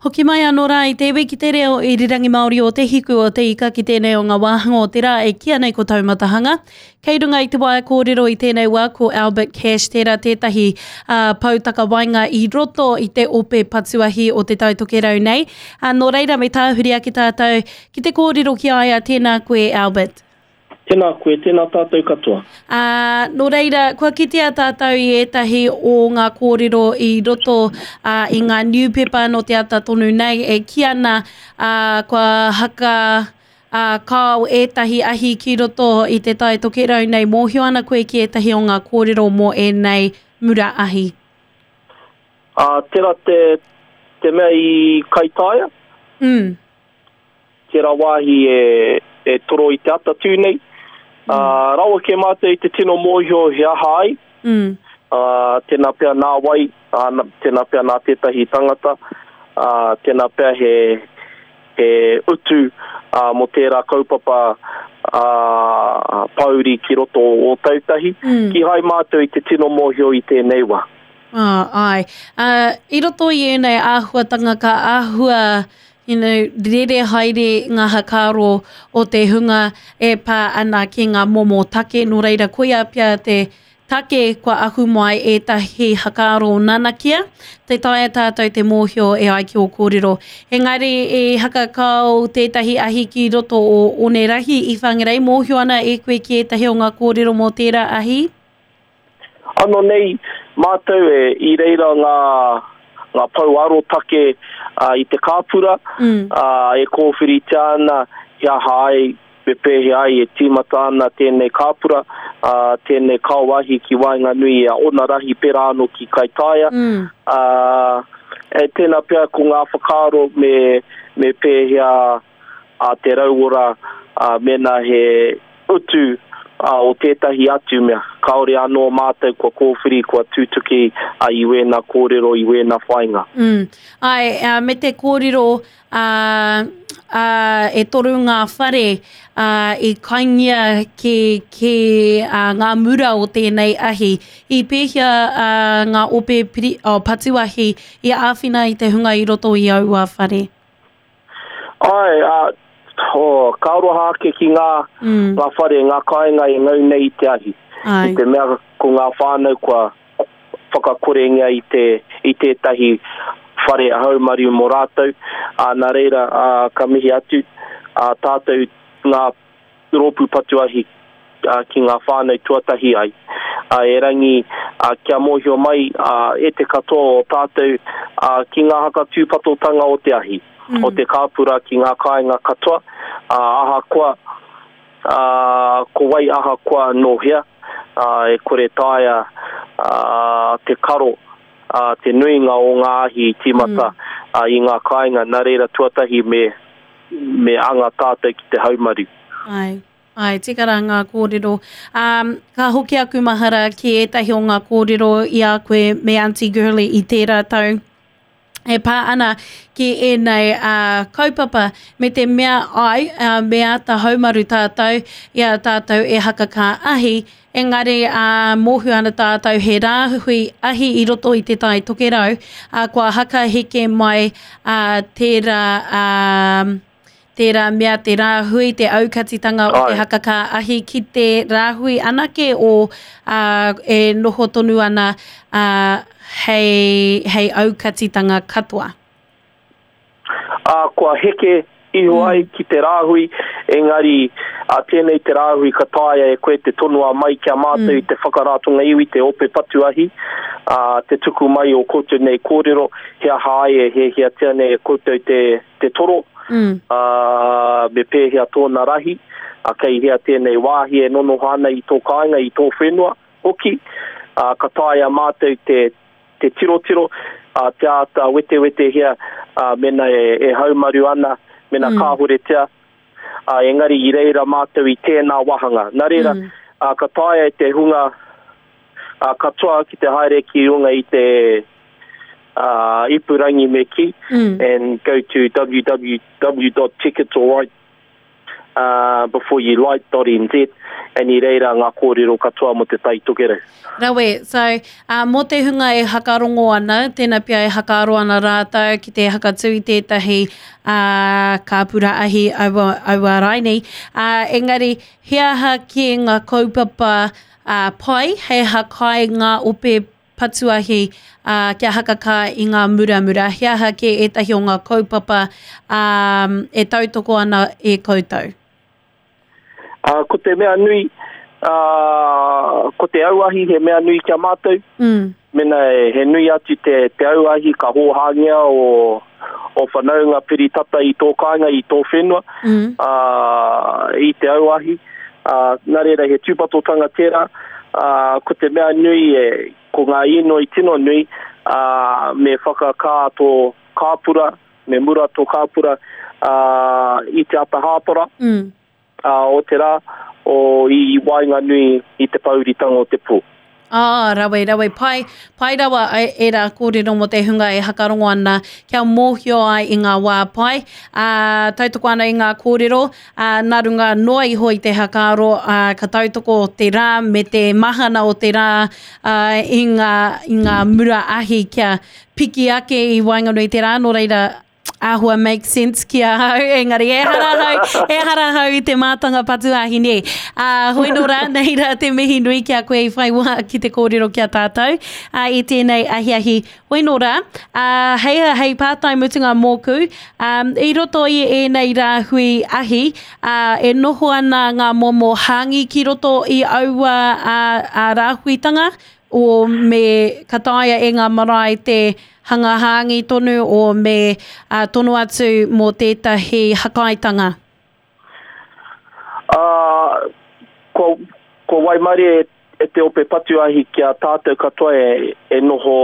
Hoki mai anō rā i te iwi ki te reo irirangi Māori o Te Hiku o Te Ika ki tēnei o ngā wāhanga o te rā e kīia nei ko Taumatahanga. Kei runga i te waea kōrero i tēnei wā ko Albert Cash tērā tētahi uh, pou takawaenga i roto i te ope patuahi o Te Tai Tokerau nei. Uh, nō reira me tāhuri ake tātou ki te kōrero ki a ia, tēnā koe Albert. Tēnā koe, tēnā tātou katoa. Ā, nō reira, kua kitea tātou i ētahi o ngā kōrero i roto ā, i ngā niupepa nō te ata tonu nei e kī ana ā, kua haka ā, kao ētahi ahi ki roto i Te Tai Tokerau nei. Mōhio ana koe ki ētahi o ngā kōrero mō ēnei mura ahi? Ā, tērā te, te mea i Kaitaia. Mm. Tērā wāhi e toro i te ata tū nei. Mm. Rawa kē mātou i te tino mōhio he aha ai. Mm. Tēnā pea nā wai, tēnā pea nā tētahi tangata, tēnā pea he, he utu mō tērā kaupapa pōuri ki roto o Ōtautahi. Mm. Kīhai mātou i te tino mōhio i tēnei wā. Ah, āe. I roto i ēnei āhuatanga ka āhua you know, rere haere ngā hakaaro o te hunga e pā ana ki ngā momo take, nō reira koia pea te take kua ahu mai ētahi hakaaro nanakia, tē taea tātou te mōhio e ai ki ō kōrero. Engari i hakakao tētahi ahi ki roto o Onerahi i Whangarei, mōhio ana e koe ki ētahi o ngā kōrero mō tērā ahi? Ano nei mātou e, i reira ngā, ngā pou arotake i te kāpura, mm. e kōwhiritia ana he aha ai, me pēhea ai e tīmata ana tēnei kāpura, tēnei kaoahi ki waenganui i a Onarahi pērā anō ki Kaitaia. Mm. E tēnā pea ko ngā whakaaro me, me pēhea a te rauora mēnā he utu o tētahi atu mea. Kāore anō mātou kua kōwhiri, kua tutuki i wēnā kōrero, i wēnā whāinga. Mm. Āe, me te kōrero, ā, ā, e toru ngā whare, ā, i kaingia ki, ki ā, ngā mura o tēnei ahi. I pēhea ā, ngā ope piri, oh, patu ahi i āwhina i te hunga i roto i aua whare? Āe, ā, oh, ka aroha ake ki ngā, mm. ngā whare, ngā kāinga e ngau nei i te ahi. Ai. I te mea ko ngā whānau kua whakakorengia i, te, i tētahi whare haumaru mō rātou. Ā, nā reira, ā, ka mihi atu ā, tātou ngā rōpū patu ahi ki ngā whānau tuatahi ai. Erangi, kia mōhio mai e te katoa o tātou ki ngā hakatūpatotanga o te ahi, o te kāpura ki ngā kāinga katoa, ahakoa ko wai ahakoa nō hea, e kore taea te karo te nuinga o ngā ahi i tīmata i ngā kāinga, nā reira tuatahi me me anga tātou ki te haumaru. Āe, āe, tika rā ngā kōrero. Ā, ka hoki aku mahara ki ētahi o ngā kōrero i a koe me Aunty Girlie i tērā tau e pā ana ki ēnei uh, kaupapa me te mea ai, uh, me āta haumaru tātou i a tātou e hakakā ahi, Engari, ā, mōhio ana tātou he rāhui ahi i roto i Te Tai Tokerau, ā, kua hakaheke mai, ā, tērā, ā, tērā mea te rāhui, te aukatitanga o te hakakā ahi ki te rāhui anake o, ā, e noho tonu ana, ā, hei, hei aukatitanga katoa. Ā, kua heke iho ai ki te rāhui, engari, ā, tēnei te rāhui ka taea e koe te tonoa mai ki a mātou i te whakaratonga iwi, te ope patu ahi, ā, te tuku mai o koutou nei kōrero, he aha ai e hiahiatia nei e koutou te, te toro, ā, me pēhea tōna rahi, ā, kei hea tēnei wāhi e nonoha ana i tō kāinga, i tō whenua hoki, ā, ka taea mātou te, te tirotiro, ā, te āta wetewetehia, ā, mēnā e, e haumaru ana, mēnā mm. kāhoretia, ā, engari i reira mātou i tēnā wāhanga. Nā reira, mm. ā, ka taea e te hunga ā, katoa ki te haere ki runga i te ā, ipurangi me kī, mm. and go to www.ticketsalright. uh, before you light.nz, and i reira ngā kōrero katoa mō te Tai Tokerau. Rawe, so, uh, mō te hunga e hakarongo ana, tēnā pea e hakaaro ana rātou ki te hakatū i tētahi uh, kāpura ahi aua, aua raini. Uh, engari, he aha kē ngā kaupapa uh, pai hei hakai ngā ope patuahi, ā, kia hakakā i ngā muramura? He aha kē ētahi o ngā kaupapa, ā, e tautoko ana e koutou? Ā, ko te mea nui, ā, ko te auahi he mea nui ki a mātou. Mm. Mena he nui atu te, te auahi ka hōhāngia o, o whanaunga piri tata i tō kāinga, i tō whenua, mm. ā, i te auahi. Ā, nā reira he tūpatotanga tērā, ā, ko te mea nui e, ko ngā īnoi tino nui, ā, me whakakā tō kāpura, me mura tō kāpura, ā, i te ata hāpara, mm. ā, o te rā, o i waenganui i te pōuritanga o te pō. Ah, rawe, rawe, pai, pai rawa ērā kōrero mō te hunga e hakarongo ana kia mōhio ai i ngā wā pai. Ā, tautoko ana i ngā kōrero, ā, nā runga noa iho i te hakaaro, ā, ka tautoko te rā me te mahana o te rā, ā, i ngā, i ngā mura ahi kia piki ake i waenganui i te rā, nō reira, āhua make sense ki ahau, engari ehara ahau, ehara ahau i te mātanga patu ahi nē. Ā, hoi nō rā, nei rā te mihi nui ki a koe i whai wā ki te kōrero ki a tātou ā, i tēnei ahiahi. Hoi nō rā, ā, hei, hei pātai mutunga mōku, ā, i roto i ēnei rāhui ahi, ā, e noho ana ngā momo hāngi ki roto i aua ā, ā, rāhuitanga, o me ka taea e ngā marae te hanga hāngi tonu o me uh, tono atu mō tētahi hakaitanga? Uh, kua, kua waimarie e te ope patu ahi ki a tātou katoa e, e noho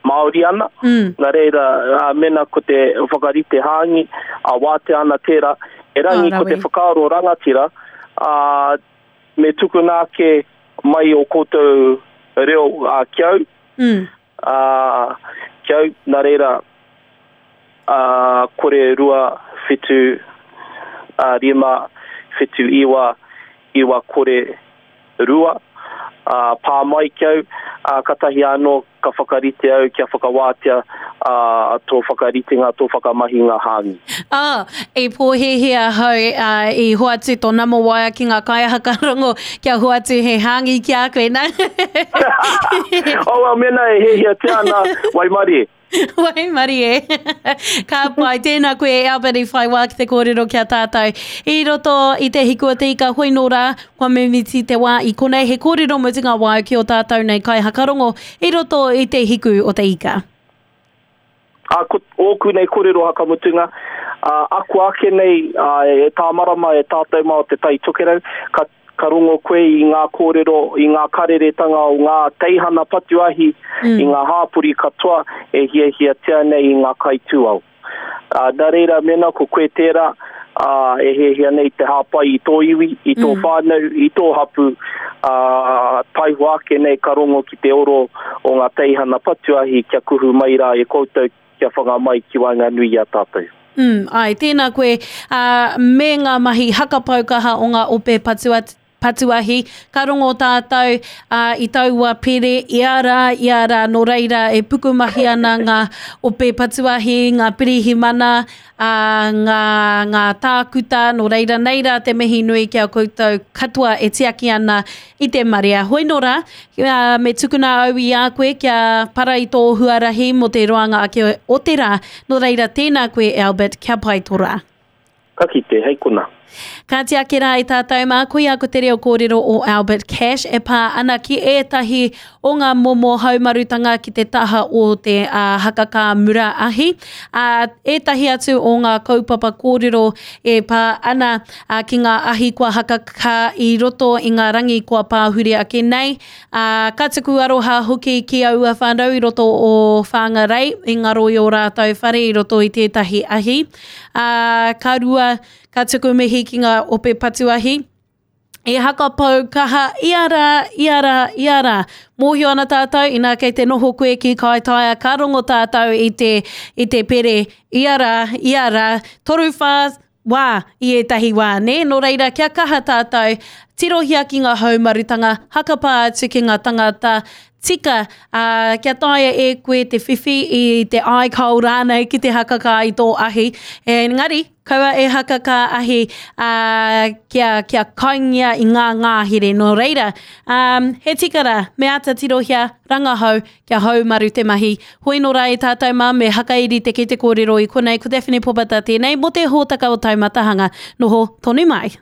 Māori ana. Mm. Nā reira, uh, mena ko te whakarite hāngi, a wātea ana tērā, erangi ko te whakaaro rangatira, uh, me tukuna ake mai o koutou reo uh, ki au, mm. uh, ki au, nā reira, uh, kore rua, whitu, uh, rima, whitu iwa, iwa kore rua, uh, pā mai ki au, uh, katahi anō ka whakarite au kia whakawātea ā, tō whakaritenga, tō whakamahinga hāngi. Ā, i pōhēhē ahau, ā, i hoatu tō nama waea ki ngā kaiahakarongo kia hoatu he hāngi ki a koe, nā. Oh, well, mēnā e hiahiatia ana, waimarie. Waimarie. Ka pai, tēnā koe e Albert i whai wā ki te kōrero ki a tātou. I roto i te hiku o te ika hoi nō rā, kua mimiti te wā i konei he kōrero mutunga wāu ki o tātou nei kaihakarongo i roto i te hiku o te ika. Ā, ko ōku nei kōrero hakamutunga, ā, ako ake nei ā, e tāmarama e tātou mā o Te Tai Tokerau, ka Ka rongo koe i ngā kōrero, i ngā kareretanga o ngā teihana patu ahi, mm. i ngā hāpori katoa e hiahiatia nei i ngā kaitūao. Uh, nā reira, mēnā ko koe tērā, uh, e hiahia nei te hāpai i tō iwi, i tō mm. whānau, i tō hapu, uh, taihoa ake nei ka rongo ki te oro o ngā teihana patu ahi kia kuhu mai rā e koutou kia whanga mai ki waenganui i a tātou. Mm, ai, tēnā koe, ā, me ngā mahi hakapau kaha o ngā ope patu, patuahi, ka rongo tātou ā, i taua pere ia rā, ia rā, nō reira e pukumahi ana ngā ope patuahi, ngā pirihimana, ā, ngā, ngā tākuta, nō reira nei rā te mihi nui ki a koutou katoa e tiaki ana i te marea. Hoi nō rā, me tukuna au i a koe kia para i tō huarahi mō te roanga ake o te rā. Nō reira, tēnā koe Albert, kia pai tō rā. Ka kite, hei kona. Kāti ake rā i tātou mā, koia ko te reo kōrero o Albert Cash e pā ana ki ētahi o ngā momo haumarutanga ki te taha o te uh, hakakā mura ahi. Uh, ētahi atu o ngā kaupapa kōrero e pā ana ā, ki ngā ahi kua hakakā i roto i ngā rangi kua pāhure ake nei, ā, ka tuku aroha hoki ki aua whānau i roto o Whangarei i ngaro i ō rātou whare i roto i tētahi ahi. Ā, ka rua, ka tuku mihi ki ngā ope patu ahi, i hakapau kaha ia rā, ia rā, ia rā. Mōhio ana tātou, inā kei te noho koe ki Kaitaia, ka rongo tātou i te, i te pere ia rā, ia rā, 3, 4, wā i ētahi wā, nē? Nō reira, kia kaha tātou, tirohia ki ngā haumarutanga, hakapā atu ki ngā tangata tika, ā, kia taea e koe te whiwhi i te iCoal rānei ki te hakakā i tō ahi. Engari, kaua e hakakā ahi, ā, kia, kia kaingia i ngā ngāhere. Nō reira, ā, he tika rā, me āta tirohia, rangahau, Kia haumaru te mahi. Hoi nō rā e tātou mā, me hakairi te kete kōrero i konei, ko Daphne Popata tēnei mō te hōtaka o Taumatahanga. Noho tonu mai.